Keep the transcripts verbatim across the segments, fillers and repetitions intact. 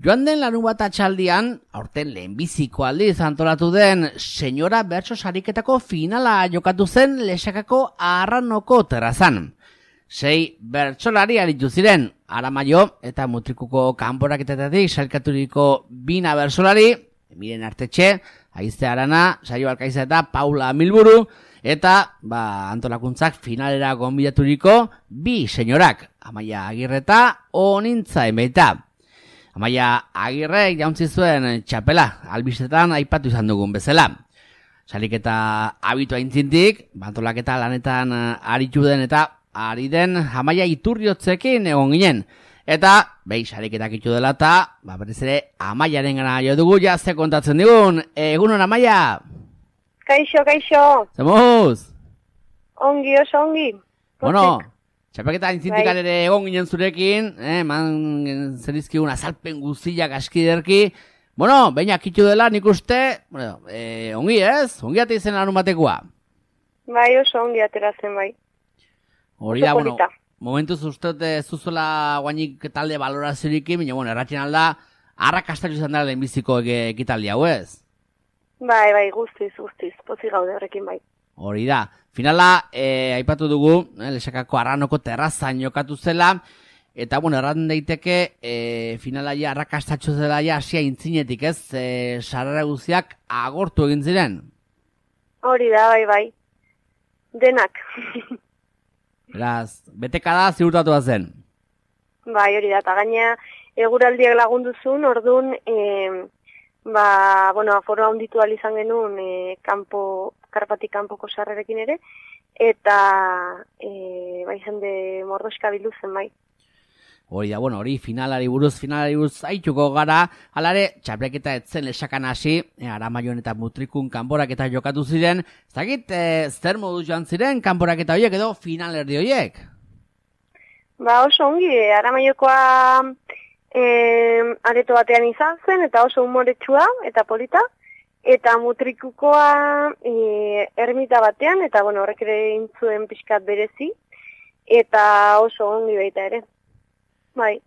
Joan den larunbat atxaldian, aurten lehenbiziko aldiz antolatu den senyora bertso sariketako finala jokatu zen Lexakako Arranoko terrazan. Sei bertsolari aritu ziren, Aramaio eta Mutrikuko kanporaketatik sailkaturiko bina bertsolari, Miren Artetxe, Aize Arana, Saio Alkaiza eta Paula Milburu, eta ba, antolakuntzak finalera gonbidaturiko bi senyorak, Amaia Agirre eta Onintza Emeita. Amaia Agirre jauntzi zuen txapela, albistetan aipatu izan dugun bezala. Saliketa abitu aintzintik, bantolaketa lanetan aritu den eta ari den Amaia Iturriotzekin egon ginen. Eta, behi sariketak itu dela eta, ba, berriz ere Amaiaren gana jo dugu jazte kontatzen digun. Egunon, Amaia! Kaixo, kaixo! Zemuz! Ongi, oso ongi. Bueno, txapelketa aintzintikal ere egon ginen zurekin, eh, man zerizkigun azalpen guztiak askiderki. Bueno, baina akitu dela nik uste, bueno, eh, ongi ez? Ongi ate izen larun batekoa. Bai, oso ongi ateratzen bai. Hori da, bueno, momentuz uste zuzola guainik talde baloraziorik, baina, bueno, erratien alda, arrakastatu izan da lehenbiziko ekitaldi hau ez? Bai, bai, guztiz, guztiz, pozik gaude horrekin bai. Hori da. Finala, eh, aipatu dugu, eh, Lexakako Arranoko terrazan jokatu zela, eta, bueno, erran daiteke, eh, finala ja arrakastatxo zela ja asia intzinetik, ez? Eh, sarrera guztiak agortu egin ziren. Hori da, bai, bai. Denak. Beraz, beteka da ziurtatu zen. Bai, hori da, eta gaina eguraldiak lagunduzun, orduan, eh, ba, bueno, aforo handitu izan genuen e, kanpo, karpatik kanpoko sarrerekin ere, eta e, bai jende mordoska biluzen bai. Hori da, bueno, hori finalari buruz, finalari buruz haituko gara, alare, txapleketa etzen Lexakan hasi, e, Aramaion eta Mutrikun kanporaketa jokatu ziren, ez dakit, e, zer moduz joan ziren kanporaketa horiek edo finalerdi horiek? Ba, oso ongi, Aramaiokoa E, areto batean izan zen, eta oso humoretsua, eta polita, eta Mutrikukoa e, ermita batean, eta bueno, horrek ere intzuen pixkat berezi, eta oso ongi baita ere. Bai.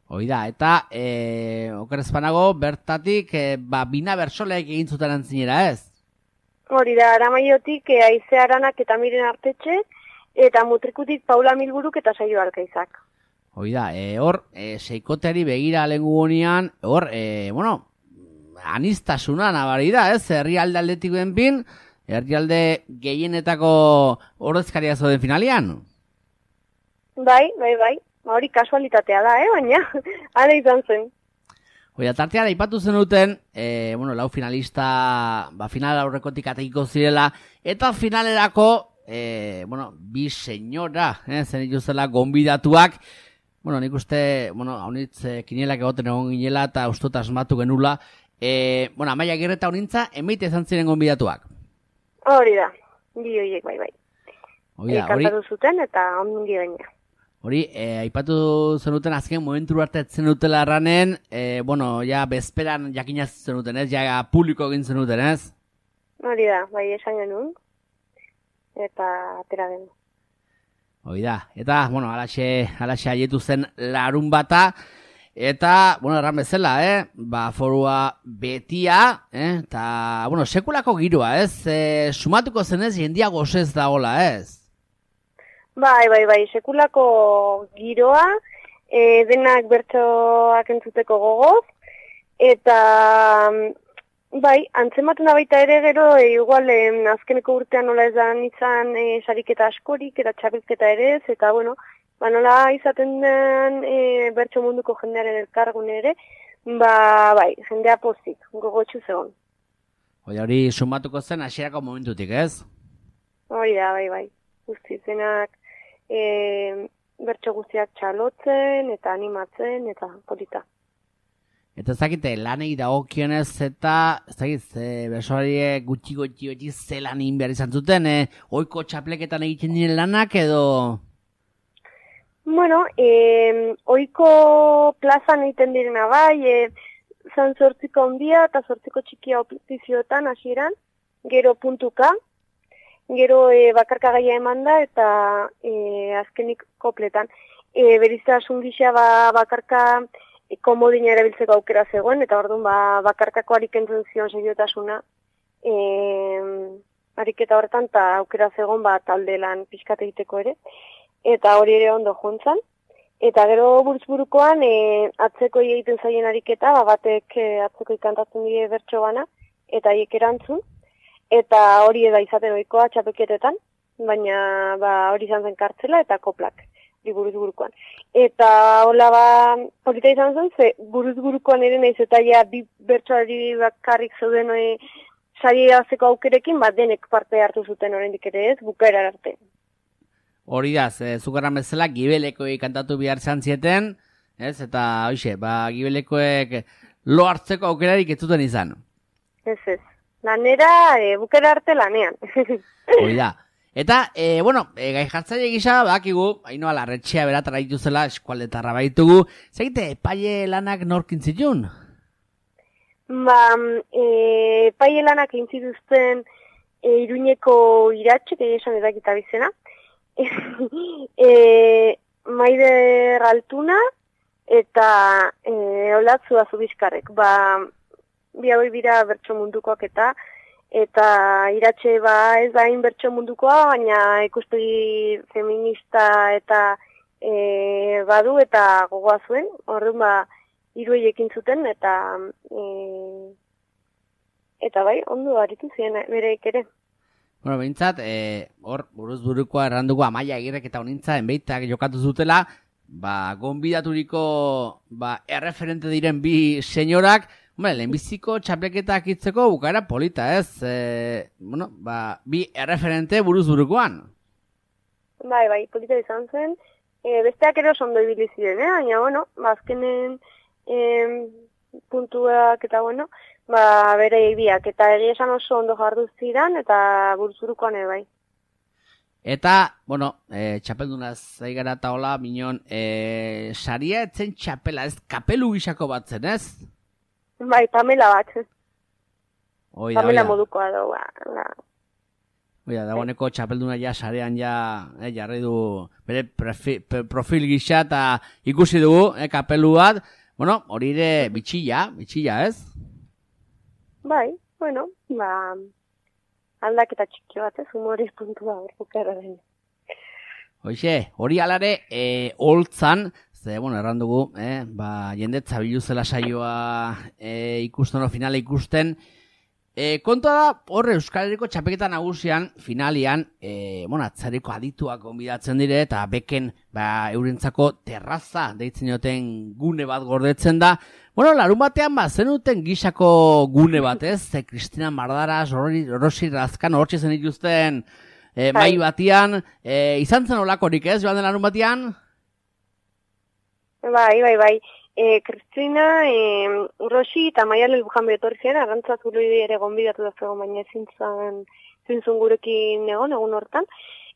Hoi da, eta e, okerrezpanago bertatik e, ba, bina bertsoleak egin zuten antzinera ez? Hori da, Aramaiotik e, Aize Aranak eta Miren Artetxe, eta Mutrikutik Paula Milburuk eta Saio Alkaizak. Hoi da, e, hor, e, seikoteari begira lengu honean, hor, e, bueno, anistasuna nabari da, ez? Herrialde aldetik benpin, herrialde gehienetako ordezkaria zoden finalian. Bai, bai, bai, hori kasualitatea da, eh, baina, ara izan zen. Hoi da, tartean aipatu zenuten, e, bueno, lau finalista, ba, final aurrekotik atekiko zirela, eta finalerako, e, bueno, bi senyora, eh, zen dituzela gonbidatuak. Bueno, nik uste, bueno, haunitz e, kinielak egoten egon ginela eta ustot asmatu genula. E, bueno, Amaia Agirre eta Onintza emeite izan ziren gonbidatuak. Hori da, bi horiek bai bai. Hori da, e, kantatu zuten eta ongi gaina. Hori, e, aipatu zenuten azken momentu arte zenutela erranen, e, bueno, ja bezperan jakinaz zenuten ez, ja publiko egin zenuten ez? Hori da, bai esan genuen, eta atera genuen. Hoi da, eta, bueno, alaxe, alaxe haietu zen larun bata, eta, bueno, erran bezala, eh? Ba, forua betia, eh? Eta, bueno, sekulako giroa, ez? E, sumatuko zenez, jendia gozez dagoela, ez? Bai, bai, bai, sekulako giroa, e, denak bertsoak entzuteko gogoz, eta... Bai, antzematuna baita ere gero, e, igual, e, azkeneko urtean nola ez da izan e, sariketa askorik, eta txapelketa ere ez, eta bueno, ba, nola izaten den e, bertso munduko jendearen elkargun ere, ba, bai, jendea pozik, gogotxu zegoen. Hori hori sumatuko zen hasierako momentutik, ez? Hori da, bai, bai, guzti zenak e, bertso guztiak txalotzen, eta animatzen, eta polita. Eta ez dakite, lanei dagokionez eta, ez dakit, e, bersoariek gutxi gutxi gutxi zelan egin behar izan zuten, e, oiko txapleketan egiten diren lanak edo... Bueno, e, oiko plazan egiten direna bai, e, zan zortziko handia eta zortziko txikia opizioetan hasieran, gero puntuka, gero e, bakarka gaia eman da eta e, azkenik kopletan. E, Beriztasun gisa ba, bakarka komodina erabiltzeko aukera zegoen, eta orduan ba, bakarkako arikentzen zion seriotasuna, e, ariketa horretan, eta aukera zegoen ba, talde lan pixkat egiteko ere, eta hori ere ondo jontzan. Eta gero buruz-burukoan, e, atzeko egiten zaien ariketa, ba, batek e, atzeko ikantatzen die bertso bana, eta hiek erantzun, eta hori eda izaten ohikoa txapelketetan, baina ba, hori izan zen kartzela eta koplak, buruz-burukoan. Eta hola ba, polita izan zen, ze buruz-burukoan ere nahiz eta ja bi bertsoari bakarrik zeuden e, sari azeko aukerekin, bat denek parte hartu zuten oraindik ere ez, bukaera arte. Hori da, e, zugarran bezala, gibelekoek kantatu behar zan zieten, ez? Eta, hoxe, ba, gibelekoek lo hartzeko aukerarik ez zuten izan. Ez ez, lanera, e, bukera arte lanean. Hori da. Eta, e, bueno, e, gai jartzaile gisa, bakigu, haino alarretxea beratara dituzela, eskualdetarra baitugu, zegite, epaile lanak norkin zitun? Ba, e, epaile lanak intzituzten e, Iruñeko iratxek, esan edakita bizena, e, Maider Altuna eta e, Olatzu Azubizkarrek. Ba, bi hauek dira bertso mundukoak eta eta iratxe ba ez da hain bertso mundukoa, baina ikuspegi feminista eta e, badu eta gogoa zuen. Orduan ba hiruei ekin zuten eta e, eta bai, ondo aritu ziren bereik ere. Bueno, behintzat, e, hor, buruz burukoa erranduko Amaia Agirrek eta honintza enbeitak jokatu zutela, ba, gonbidaturiko, ba, erreferente diren bi senyorak, hombre, lehenbiziko txapleketak itzeko bukaera polita, ez? E, bueno, ba, bi erreferente buruz burukoan. Bai, bai, polita izan zen. E, besteak ere oso ondo ibili ziren, eh? Baina, bueno, ba, azkenen e, puntuak eta, bueno, ba, bere biak, eta egia esan oso ondo jardu zidan, eta buruz-burukoan ere bai. Eta, bueno, e, txapelduna zaigara eta hola, minon, e, saria etzen txapela, ez kapelu gisako bat zen, ez? Bai, Pamela bat. Oida, Pamela oida. modukoa da, ba. Oida, dagoeneko txapelduna ja sarean ja, eh, jarri du bere prefi, profil gisa eta ikusi dugu, eh, kapelu bat. Bueno, hori ere bitxilla, bitxilla, ez? Bai, bueno, ba, aldaketa txiki bat, ez, humoriz puntua hor bukara da. Hoxe, hori alare, e, holtzan, ze, bueno, erran dugu, eh, ba, jendetza biluzela saioa e, ikusten o finale ikusten. E, kontua da, horre Euskal Herriko txapeketa nagusian, finalian, e, bueno, atzareko adituak gonbidatzen dire, eta beken, ba, eurentzako terraza deitzen joten gune bat gordetzen da. Bueno, larun batean, ba, zenuten gisako gune bat, ez? Ze Kristina Mardaras, Rosi Razkan, hortxe zen ikusten e, mai batian. E, izan zen olakorik, ez, joan den larun batean? Bai, bai, bai. E, Kristina, e, Rosi eta Maialen Lujan betorri zen, arrantzazulu ere gonbidatu da zegoen, baina ezin zintzun gurekin egon, egun hortan.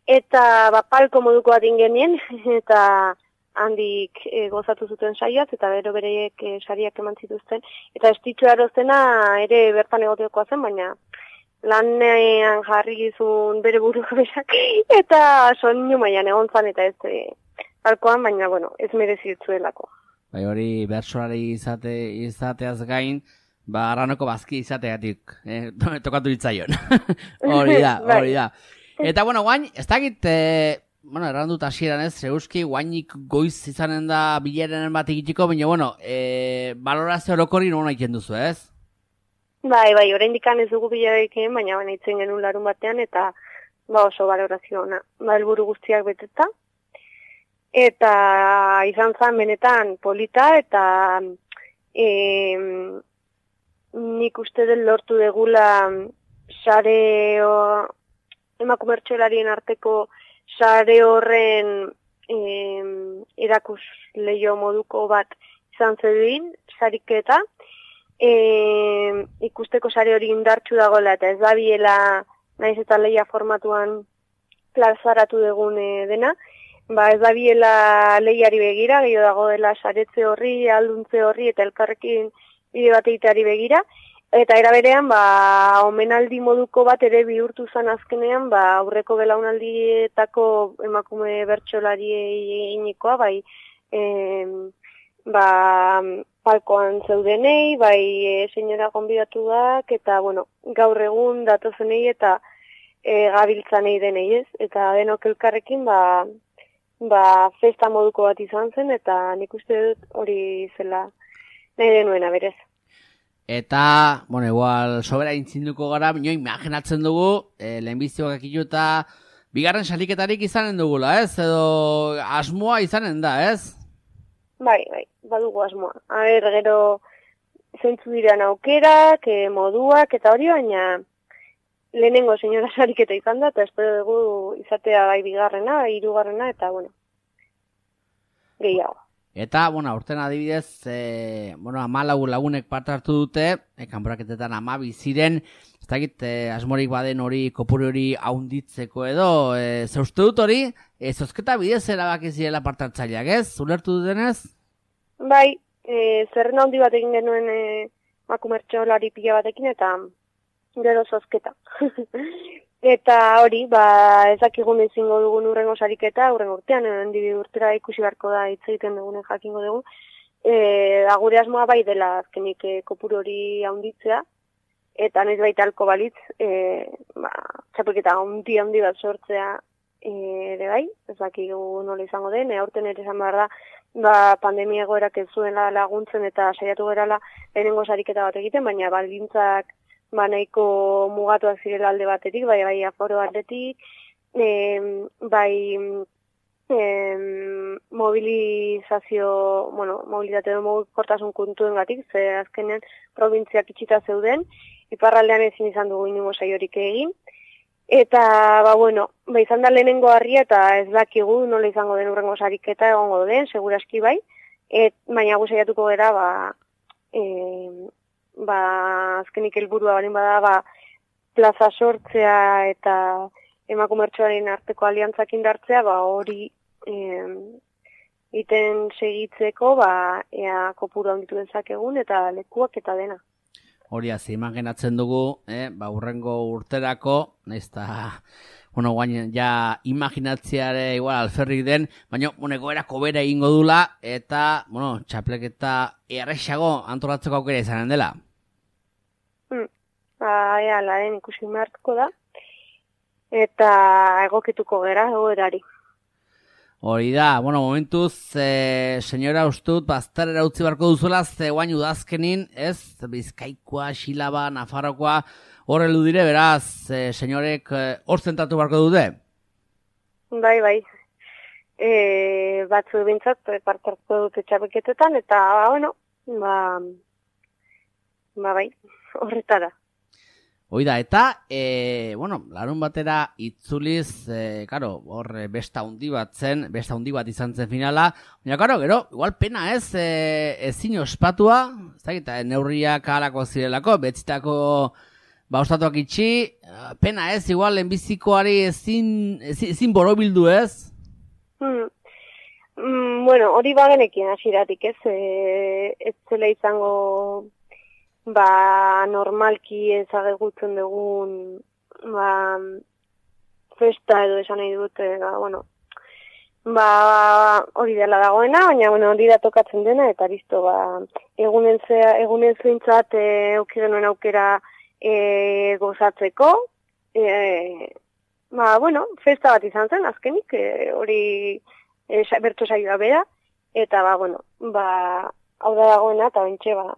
Eta, ba, palko moduko bat ingenien, eta handik e, gozatu zuten saiaz, eta bero bereiek e, sariak eman zituzten. Eta estitxo erozena ere bertan egotekoa zen, baina lanean jarri gizun bere buruk berak, eta soinu mailan egon zan, eta ez e, palkoan, baina, bueno, ez merezitzuelako. Bai, hori bertsolari izate, izateaz gain, ba, arranoko bazki izateatik, eh, tokatu ditzaion. Hori da, hori da. Eta, bueno, guain, ez dakit, eh, bueno, errandut hasieran ez, zeuski, guainik goiz izanen da bilerenen bat egitiko, baina, bueno, eh, balorazio orokori nona iken duzu, ez? Bai, bai, oraindik ez dugu bilarekin, baina baina itzen genuen larun batean, eta ba oso balorazio ona, ba helburu guztiak beteta. Eta izan zen benetan polita, eta e, nik uste den lortu degula sare emakumertxolarien arteko sare horren e, erakus leio moduko bat izan zedin, sariketa, e, ikusteko sare hori indartsu dagoela, eta ez da biela naiz eta leia formatuan plazaratu dugun e, dena, ba ez da biela lehiari begira, gehiago dago dela saretze horri, alduntze horri eta elkarrekin bide bat egiteari begira. Eta era berean, ba, omenaldi moduko bat ere bihurtu zen azkenean, ba, aurreko belaunaldietako emakume bertsolari eginikoa, bai, e, ba, palkoan zeudenei, bai e, senyora gonbidatuak, eta, bueno, gaur egun datozenei eta e, gabiltzanei denei ez, eta denok elkarrekin, ba, ba, festa moduko bat izan zen, eta nik uste dut hori zela nahi denuena berez. Eta, bueno, igual, sobera intzinduko gara, bineo imaginatzen dugu, e, lehenbiztioak akitu eta bigarren saliketarik izanen dugula, ez? Edo asmoa izanen da, ez? Bai, bai, badugu asmoa. A ber, gero zeintzu diran aukerak, e, moduak, eta hori, baina lehenengo senyora sariketa izan da, eta espero dugu izatea bai bigarrena, bai hirugarrena, eta, bueno, gehiago. Eta, bueno, aurten adibidez, e, bueno, amalau lagunek parte hartu dute, e, kanporaketetan amabi ziren, ez dakit, e, asmorik baden hori, kopuru hori haunditzeko edo, e, ze uste dut hori, e, zozketa bidez erabaki zirela parte hartzaileak, ez? Ulertu dutenez? Bai, e, zerrenda handi bat egin genuen e, makumertxolari pila batekin, eta gero zozketa. Eta hori, ba, ezakigun ezingo dugun urrengo sariketa, urrengo urtean, hendi urtera ikusi beharko da hitz egiten dugunen jakingo dugu. E, da gure asmoa bai dela azkenik e, kopuru hori haunditzea, eta noiz baita alko balitz, e, ba, txapelketa handi handi bat sortzea e, ere bai, ezakigu nola izango den, e, aurten ere esan behar da, ba, pandemia egoerak ez zuela laguntzen eta saiatu gerala lehenengo sariketa bat egiten, baina baldintzak ba nahiko mugatuak zirela alde batetik, bai bai aforo aldetik, e, bai e, mobilizazio, bueno, mobilitate edo mugikortasun kontuengatik, ze azkenean probintziak itxita zeuden, iparraldean ezin izan dugu inungo saiorik egin, eta, ba, bueno, ba, izan da lehenengo harria, eta ez dakigu nola izango den urrengo sariketa egongo den, seguraski bai, et, baina gu saiatuko gera, ba, e, ba, azkenik helburua balin bada, ba, plaza sortzea eta emakumertxoaren arteko aliantzak indartzea, ba, hori eh, iten segitzeko, ba, ea kopuru handitu dezakegun eta lekuak eta dena. Hori hazi, imaginatzen dugu, eh, ba, urrengo urterako, nahiz eta, bueno, guain, ja, imaginatziare igual alferrik den, baina, bueno, egoerako bera egingo dula, eta, bueno, txapleketa errexago antolatzeko aukera izanen dela. Hmm. Ba, ea, laren ikusi behartuko da, eta egokituko gera egoerari. Hori da, bueno, momentuz, e, senyora ustut, bazterera utzi barko duzuela, ze guain udazkenin, ez, Bizkaikoa, Xilaba, Nafarrokoa, horre ludire, beraz, e, senyorek hor e, zentatu barko dute? Bai, bai. E, batzu bintzat, parte hartu dute txapeketetan, eta, ba, bueno, ba, ba, bai, horretara. Hoi da, eta, e, bueno, larun batera itzuliz, e, karo, hor besta hundi bat zen, besta hundi bat izan zen finala, baina, karo, gero, igual pena ez, e, ezin ospatua, ez da, eta neurriak alako zirelako, betzitako, ba, ostatuak itxi, pena ez, igual, enbizikoari ezin, ezin, ezin borobildu ez? Hmm. Mm, bueno, hori bagenekin hasiratik ez, e, ez zela izango, ba, normalki ezagutzen dugun, ba, festa edo esan nahi dut, ba, bueno, ba, hori dela dagoena, baina, bueno, hori da tokatzen dena, eta listo, ba, egunen zea, egunen zuintzat, e, eukirenuen aukera e, gozatzeko, e, ba, bueno, festa bat izan zen, azkenik, e, hori e, bertu saioa bera, eta, ba, bueno, ba, hau da dagoena, eta bentxe, ba,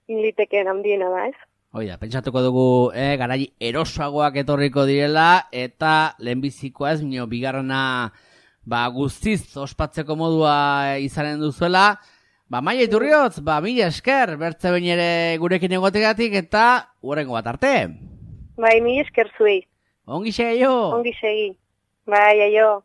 liteken handiena da, ez? Oida, pentsatuko dugu, eh, garai erosoagoak etorriko direla, eta lehenbizikoa ez, minio, bigarrena, ba, guztiz ospatzeko modua izanen duzuela, ba, Maia Iturriotz, ba, mila esker, bertze behin ere gurekin egotegatik, eta hurrengo bat arte. Bai, mila esker zuei. Ongi segi jo. Ongi segi. Bai, aio.